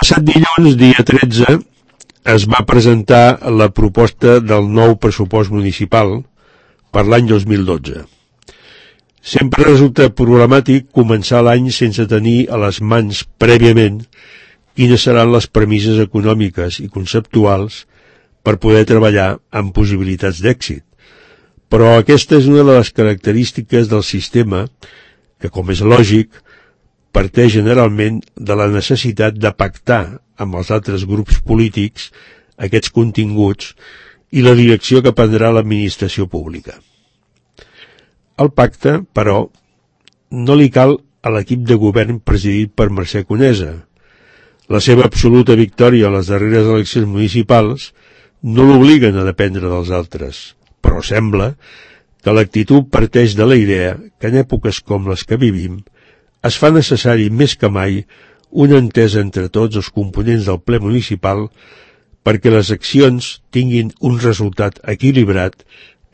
passat dilluns, dia 13, es va presentar la proposta del nou pressupost municipal per l'any 2012. Sempre resulta problemàtic començar l'any sense tenir a les mans prèviament quines seran les premisses econòmiques i conceptuals per poder treballar amb possibilitats d'èxit. Però aquesta és una de les característiques del sistema que, com és lògic, parteix generalment de la necessitat de pactar amb els altres grups polítics aquests continguts i la direcció que prendrà l'administració pública. El pacte, però, no li cal a l'equip de govern presidit per Mercè Conesa. La seva absoluta victòria a les darreres eleccions municipals no l'obliguen a dependre dels altres, però sembla que l'actitud parteix de la idea que en èpoques com les que vivim es fa necessari més que mai una entesa entre tots els components del ple municipal perquè les accions tinguin un resultat equilibrat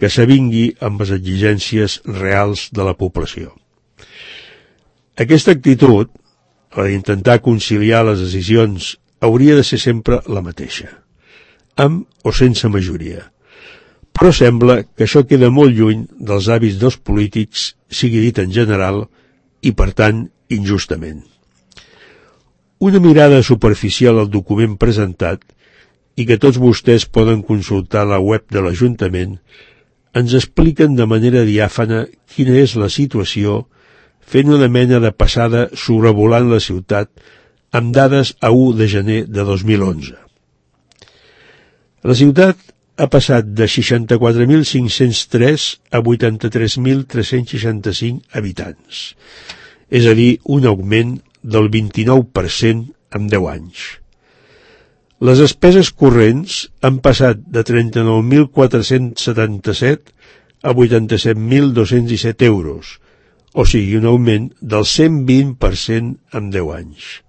que s'avingui amb les exigències reals de la població. Aquesta actitud, la d'intentar conciliar les decisions, hauria de ser sempre la mateixa, amb o sense majoria. Però sembla que això queda molt lluny dels hàbits dels polítics, sigui dit en general, i per tant, injustament. Una mirada superficial al document presentat, i que tots vostès poden consultar a la web de l'Ajuntament, ens expliquen de manera diàfana quina és la situació, fent una mena de passada sobrevolant la ciutat amb dades a 1 de gener de 2011. La ciutat ha passat de 64.503 a 83.365 habitants, és a dir, un augment del 29% en 10 anys. Les despeses corrents han passat de 39.477 a 87.217 euros, o sigui, un augment del 120% en 10 anys.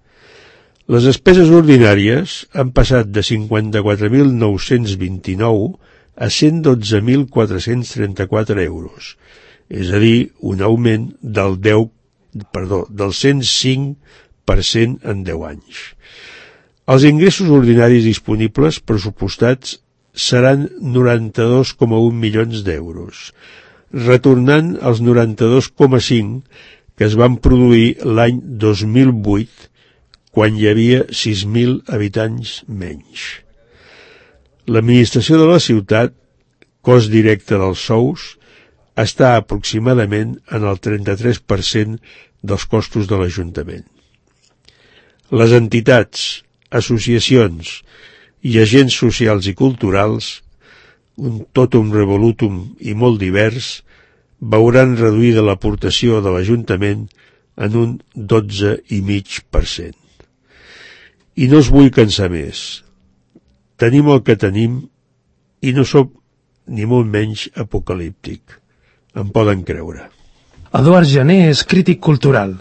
Les despeses ordinàries han passat de 54.929 a 112.434 euros, és a dir, un augment del 105% en 10 anys. Els ingressos ordinaris disponibles pressupostats seran 92,1 milions d'euros, retornant als 92,5 que es van produir l'any 2008, quan hi havia 6.000 habitants menys. L'administració de la ciutat, cost directe dels sous, està aproximadament en el 33% dels costos de l'Ajuntament. Les entitats, associacions i agents socials i culturals, un totum revolutum i molt divers, veuran reduïda l'aportació de l'Ajuntament en un 12,5%. I no us vull cansar més. Tenim el que tenim i no sóc ni molt menys apocalíptic. Em poden creure. Eduard Jané és crític cultural.